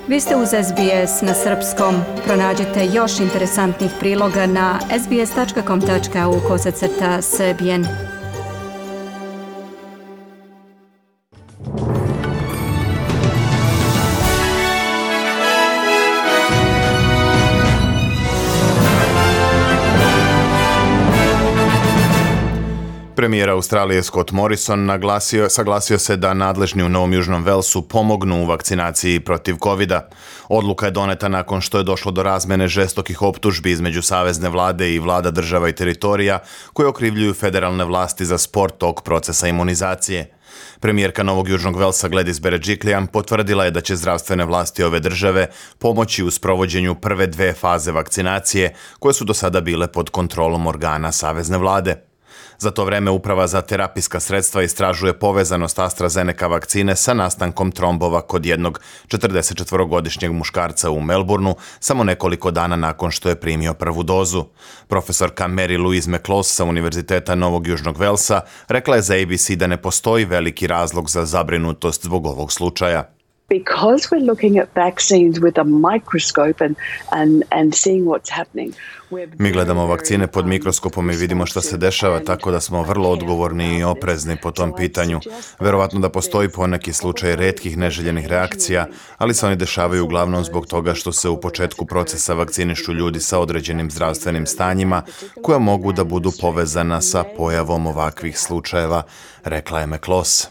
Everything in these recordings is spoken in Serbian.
Vi ste uz SBS na srpskom. Pronađite još interesantnih priloga na sbs.com.au/srbijen. Premijer Australije Scott Morrison saglasio se da nadležni u Novom Južnom Velsu pomognu u vakcinaciji protiv covida. Odluka je doneta nakon što je došlo do razmene žestokih optužbi između savezne vlade i vlada država i teritorija koje okrivljuju federalne vlasti za spor tog procesa imunizacije. Premijerka Novog Južnog Velsa Gladys Berejiklian potvrdila je da će zdravstvene vlasti ove države pomoći u sprovođenju prve 2 faze vakcinacije koje su do sada bile pod kontrolom organa savezne vlade. Za to vreme Uprava za terapijska sredstva istražuje povezanost AstraZeneca vakcine sa nastankom trombova kod jednog 44-godišnjeg muškarca u Melbourneu samo nekoliko dana nakon što je primio prvu dozu. Profesorka Mary Louise McLaws sa Univerziteta Novog Južnog Velsa rekla je za ABC da ne postoji veliki razlog za zabrinutost zbog ovog slučaja. Because we're looking at vaccines with a microscope and seeing what's happening. Mi gledamo vakcine pod mikroskopom i vidimo šta se dešava, tako da smo vrlo odgovorni i oprezni po tom pitanju. Verovatno da postoji poneki slučaj retkih neželjenih reakcija, ali se oni dešavaju uglavnom zbog toga što se u početku procesa vakcinišu ljudi sa određenim zdravstvenim stanjima koja mogu da budu povezana sa pojavom ovakvih slučajeva, rekla je McLaws.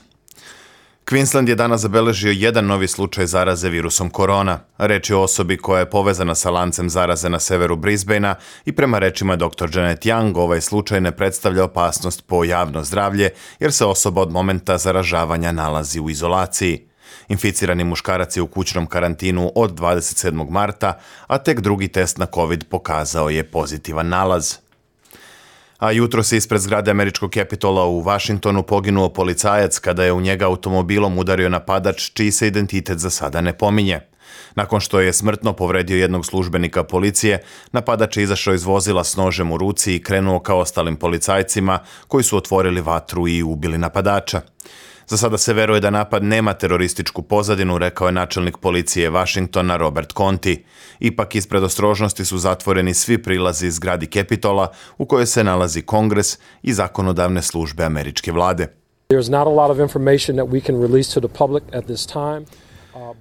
Queensland je danas zabeležio jedan novi slučaj zaraze virusom korona. Reč je o osobi koja je povezana sa lancem zaraze na severu Brisbanea i prema rečima dr. Janet Young ovaj slučaj ne predstavlja opasnost po javno zdravlje jer se osoba od momenta zaražavanja nalazi u izolaciji. Inficirani muškarac je u kućnom karantinu od 27. marta, a tek drugi test na COVID pokazao je pozitivan nalaz. A jutro se ispred zgrade američkog Capitola u Washingtonu poginuo policajac kada je u njega automobilom udario napadač čiji se identitet za sada ne pominje. Nakon što je smrtno povredio jednog službenika policije, napadač je izašao iz vozila s nožem u ruci i krenuo ka ostalim policajcima koji su otvorili vatru i ubili napadača. Za sada se veruje da napad nema terorističku pozadinu, rekao je načelnik policije Washingtona Robert Conti. Ipak ispred ostrožnosti su zatvoreni svi prilazi zgradi Capitola u kojoj se nalazi Kongres i zakonodavne službe američke vlade.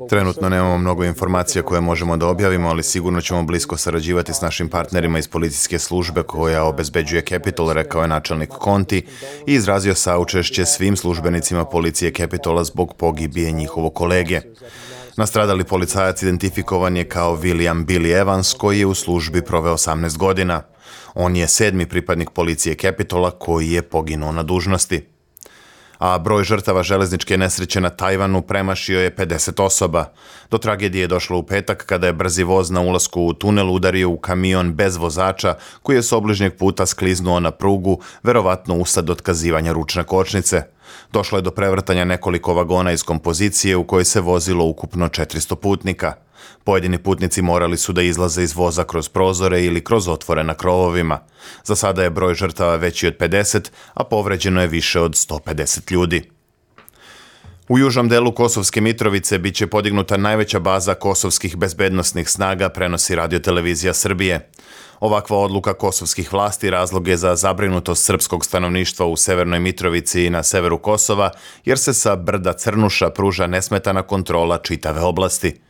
Trenutno nemamo mnogo informacija koje možemo da objavimo, ali sigurno ćemo blisko sarađivati s našim partnerima iz policijske službe koja obezbeđuje Capitol, rekao je načelnik Conti i izrazio saučešće svim službenicima policije Capitola zbog pogibije njihovog kolege. Nastradali policajac identifikovan je kao William Billy Evans koji je u službi proveo 18 godina. On je 7. pripadnik policije Capitola koji je poginuo na dužnosti. A broj žrtava železničke nesreće na Tajvanu premašio je 50 osoba. Do tragedije je došlo u petak kada je brzi voz na ulasku u tunel udario u kamion bez vozača koji je s obližnjeg puta skliznuo na prugu, verovatno usled otkazivanja ručne kočnice. Došlo je do prevrtanja nekoliko vagona iz kompozicije u kojoj se vozilo ukupno 400 putnika. Pojedini putnici morali su da izlaze iz voza kroz prozore ili kroz otvore na krovovima. Za sada je broj žrtava veći od 50, a povređeno je više od 150 ljudi. U južnom delu Kosovske Mitrovice biće podignuta najveća baza kosovskih bezbednosnih snaga, prenosi Radio-televizija Srbije. Ovakva odluka kosovskih vlasti razlog je za zabrinutost srpskog stanovništva u Severnoj Mitrovici i na severu Kosova, jer se sa brda Crnuša pruža nesmetana kontrola čitave oblasti.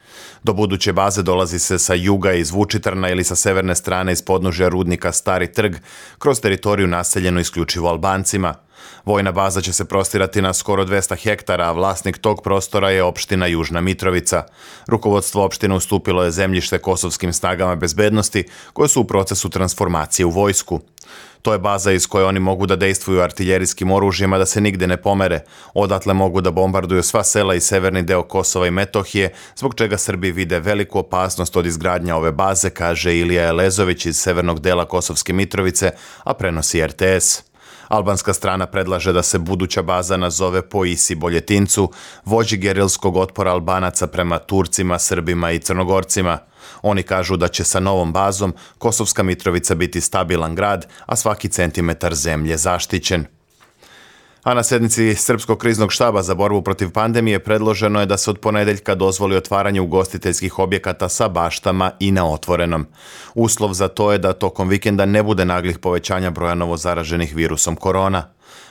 Do buduće baze dolazi se sa juga iz Vučitrna ili sa severne strane iz podnožja rudnika Stari Trg, kroz teritoriju naseljenu isključivo Albancima. Vojna baza će se prostirati na skoro 200 hektara, a vlasnik tog prostora je opština Južna Mitrovica. Rukovodstvo opštine ustupilo je zemljište kosovskim snagama bezbednosti, koje su u procesu transformacije u vojsku. To je baza iz koje oni mogu da dejstvuju artiljerijskim oružjima da se nigde ne pomere. Odatle mogu da bombarduju sva sela i severni deo Kosova i Metohije, zbog čega Srbi vide veliku opasnost od izgradnja ove baze, kaže Ilija Elezović iz severnog dela Kosovske Mitrovice, a prenosi RTS. Albanska strana predlaže da se buduća baza nazove po Isi Boljetincu, vođi gerilskog otpora Albanaca prema Turcima, Srbima i Crnogorcima. Oni kažu da će sa novom bazom Kosovska Mitrovica biti stabilan grad, a svaki centimetar zemlje zaštićen. A na sednici Srpskog kriznog štaba za borbu protiv pandemije predloženo je da se od ponedeljka dozvoli otvaranje ugostiteljskih objekata sa baštama i na otvorenom. Uslov za to je da tokom vikenda ne bude naglih povećanja broja novozaraženih virusom korona.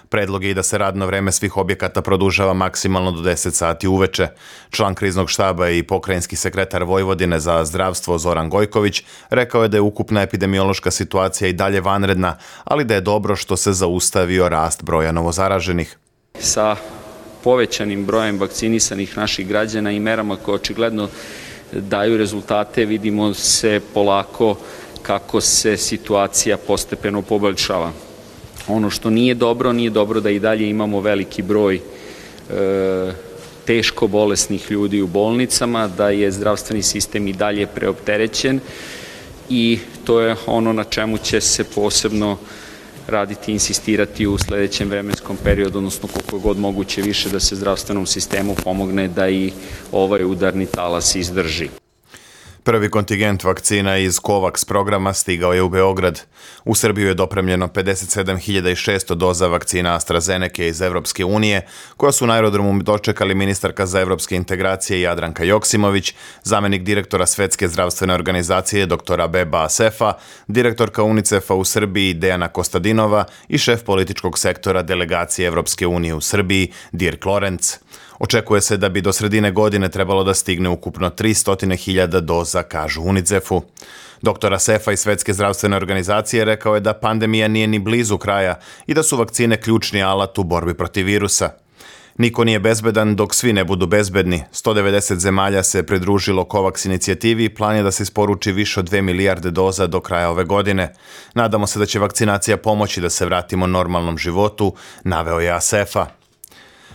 Predlog je i da se radno vreme svih objekata produžava maksimalno do 10 sati uveče. Član kriznog štaba i pokrajinski sekretar Vojvodine za zdravstvo Zoran Gojković rekao je da je ukupna epidemiološka situacija i dalje vanredna, ali da je dobro što se zaustavio rast broja novozaraženih. Sa povećanim brojem vakcinisanih naših građana i merama koje očigledno daju rezultate, vidimo se polako kako se situacija postepeno poboljšava. Ono što nije dobro da i dalje imamo veliki broj teško bolesnih ljudi u bolnicama, da je zdravstveni sistem i dalje preopterećen i to je ono na čemu će se posebno raditi i insistirati u sledećem vremenskom periodu, odnosno koliko god moguće više da se zdravstvenom sistemu pomogne da i ovaj udarni talas izdrži. Prvi kontingent vakcina iz COVAX programa stigao je u Beograd. U Srbiju je dopremljeno 57.600 doza vakcina AstraZeneca iz Evropske unije, koja su na aerodromu dočekali ministarka za evropske integracije Jadranka Joksimović, zamenik direktora Svetske zdravstvene organizacije dr. Beba Asefa, direktorka UNICEF-a u Srbiji Dejana Kostadinova i šef političkog sektora delegacije Evropske unije u Srbiji Dirk Lorenz. Očekuje se da bi do sredine godine trebalo da stigne ukupno 300.000 doza, kažu UNICEF-u. Dr. Asefa iz Svetske zdravstvene organizacije rekao je da pandemija nije ni blizu kraja i da su vakcine ključni alat u borbi protiv virusa. Niko nije bezbedan dok svi ne budu bezbedni. 190 zemalja se pridružilo COVAX inicijativi i plan je da se isporuči više od 2 milijarde doza do kraja ove godine. Nadamo se da će vakcinacija pomoći da se vratimo normalnom životu, naveo je Asefa.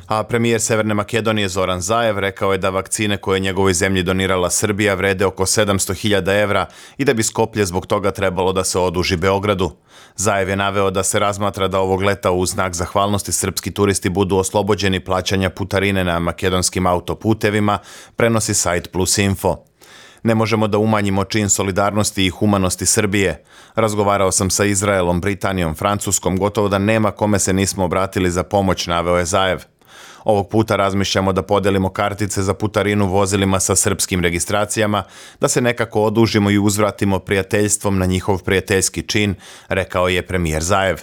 A premijer Severne Makedonije Zoran Zaev rekao je da vakcine koje je njegovoj zemlji donirala Srbija vrede oko 700.000 evra i da bi Skoplje zbog toga trebalo da se oduži Beogradu. Zaev je naveo da se razmatra da ovog leta u znak zahvalnosti srpski turisti budu oslobođeni plaćanja putarine na makedonskim autoputevima, prenosi sajt Plus Info. Ne možemo da umanjimo čin solidarnosti i humanosti Srbije. Razgovarao sam sa Izraelom, Britanijom, Francuskom, gotovo da nema kome se nismo obratili za pomoć, naveo je Zaev. Ovog puta razmišljamo da podelimo kartice za putarinu vozilima sa srpskim registracijama, da se nekako odužimo i uzvratimo prijateljstvom na njihov prijateljski čin, rekao je premijer Zaev.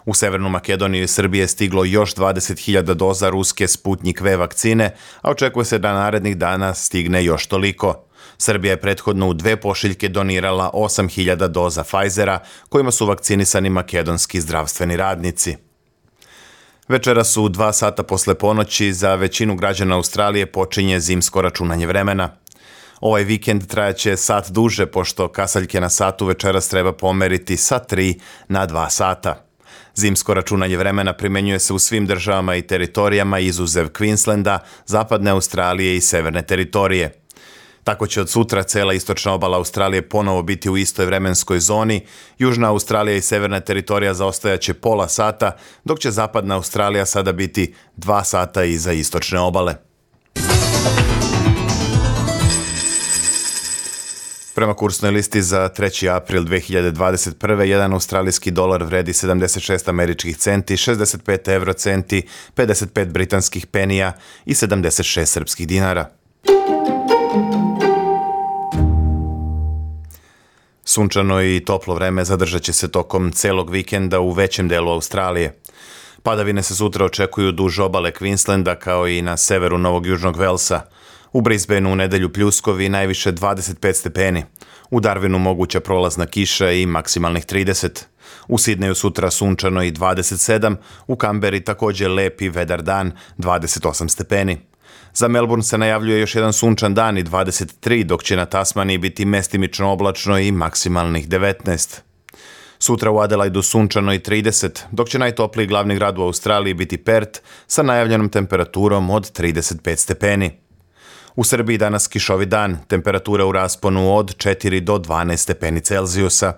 U Severnu Makedoniju i Srbije stiglo još 20.000 doza ruske Sputnik V vakcine, a očekuje se da narednih dana stigne još toliko. Srbija je prethodno u 2 pošiljke donirala 8.000 doza Pfizera, kojima su vakcinisani makedonski zdravstveni radnici. Večeras u 2 sata posle ponoći za većinu građana Australije počinje zimsko računanje vremena. Ovaj vikend trajaće sat duže, pošto kasaljke na satu večeras treba pomeriti sa 3 na 2 sata. Zimsko računanje vremena primenjuje se u svim državama i teritorijama izuzev Queenslanda, zapadne Australije i severne teritorije. Tako će od sutra cela istočna obala Australije ponovo biti u istoj vremenskoj zoni, južna Australija i severna teritorija zaostajaće pola sata, dok će zapadna Australija sada biti 2 sata iza istočne obale. Prema kursnoj listi za 3. april 2021. jedan australijski dolar vredi 76 američkih centi, 65 eurocenti, 55 britanskih penija i 76 srpskih dinara. Sunčano i toplo vreme zadržat će se tokom celog vikenda u većem delu Australije. Padavine se sutra očekuju duž obale Queenslanda kao i na severu Novog Južnog Velsa. U Brisbaneu u nedelju pljuskovi najviše 25 stepeni. U Darwinu moguća prolazna kiša i maksimalnih 30. U Sidneju sutra sunčano i 27, u Kamberi također lep i vedar dan, 28 stepeni. Za Melbourne se najavljuje još jedan sunčan dan i 23, dok će na Tasmaniji biti mestimično oblačno i maksimalnih 19. Sutra u Adelaidu sunčano i 30, dok će najtopliji glavni grad u Australiji biti Perth sa najavljenom temperaturom od 35 stepeni. U Srbiji danas kišovi dan, temperatura u rasponu od 4 do 12 stepeni Celzijusa.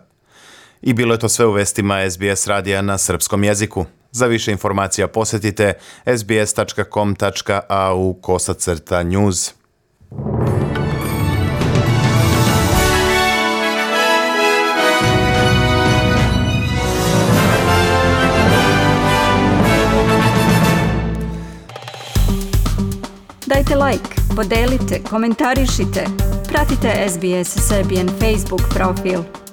I bilo je to sve u vestima SBS radija na srpskom jeziku. Za više informacija posjetite sbs.com.au/news. Dajte like, podelite, komentarišite. Pratite SBS Serbian Facebook profil.